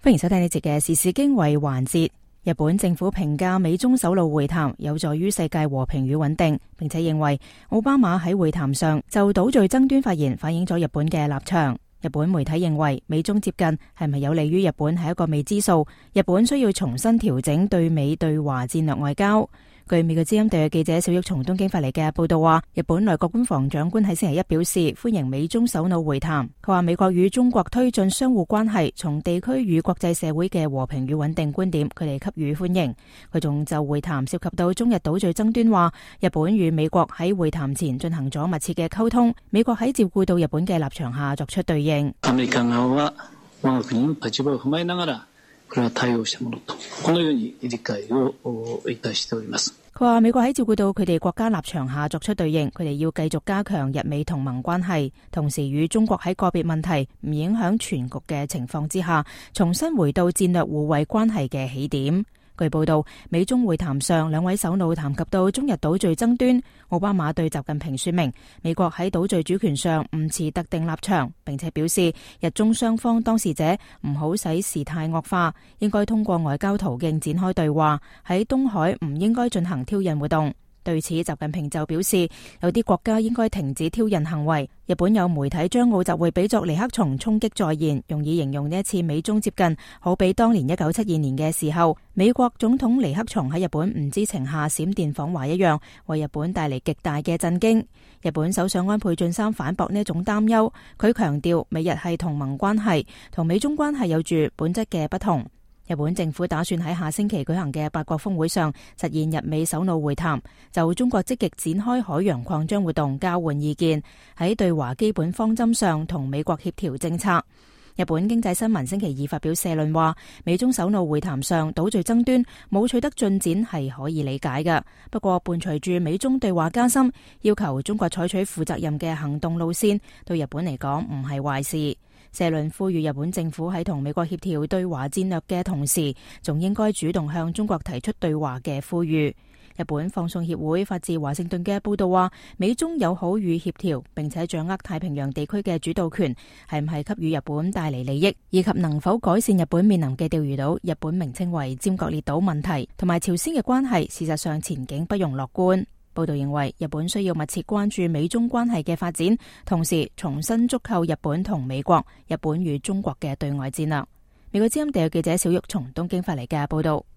歡迎收睇呢節嘅時事經緯環節。日本政府評價美中首腦會談有助於世界和平與穩定，並且認為奧巴馬喺會談上就島嶼爭端發言，反映咗日本嘅立場。日本媒體認為美中接近係咪有利於日本係一個未知數，日本需要重新調整對美對華戰略外交。據美國之音特約記者小玉從東京發嚟嘅報道話，日本內閣官房長官喺星期一表示歡迎美中首腦會談。佢話美國與中國推進相互關係，從地區與國際社會嘅和平與穩定觀點，佢哋給予歡迎。佢仲就會談涉及到中日島嶼爭端話，日本與美國喺會談前進行咗密切嘅溝通，美國喺照顧到日本嘅立場下作出對應。アメリカ側は我が國の立場を踏まえながらこれは対応したものとこのように理解をいたしております。佢話美國喺照顧到佢哋國家立場下作出對應，佢哋要繼續加強日美同盟關係，同時與中國喺個別問題唔影響全局嘅情況之下，重新回到戰略互惠關係嘅起點。據報道，美中會談上，兩位首腦談及到中日島嶼爭端。奧巴馬對習近平說明，美國喺島嶼主權上唔持特定立場，並且表示日中雙方當事者唔好使事態惡化，應該通過外交途徑展開對話，喺東海唔應該進行挑釁活動。對此，習近平就表示，有啲國家應該停止挑釁行為。日本有媒體將奧習會比作尼克松衝擊再現，用以形容呢一次美中接近，好比當年1972年嘅時候，美國總統尼克松喺日本唔知情下閃電訪華一樣，為日本帶嚟極大嘅震驚。日本首相安倍晉三反駁呢一種擔憂，佢強調美日係同盟關係，同美中關係有住本質嘅不同。日本政府打算喺下星期舉行嘅八國峰會上實現日美首腦會談，就中國積極展開海洋擴張活動交換意見，喺對華基本方針上同美國協調政策。日本經濟新聞星期二發表社論話，美中首腦會談上島嶼爭端冇取得進展係可以理解嘅，不過伴隨住美中對話加深，要求中國採取負責任嘅行動路線，對日本嚟講唔係壞事。社論呼籲日本政府喺同美國協調對華戰略嘅同時，仲應該主動向中國提出對華嘅呼籲。日本放送協會發自華盛頓嘅報道話，美中友好與協調，並且掌握太平洋地區嘅主導權，係唔係給予日本帶嚟利益，以及能否改善日本面臨嘅釣魚島日本名稱為尖閣列島問題同埋朝鮮嘅關係，事實上前景不容樂觀。報道認為，日本需要密切關注美中關係嘅發展，同時重新築構日本同美國、日本與中國嘅對外戰略。美國之音特約記者小玉從東京發嚟嘅報道。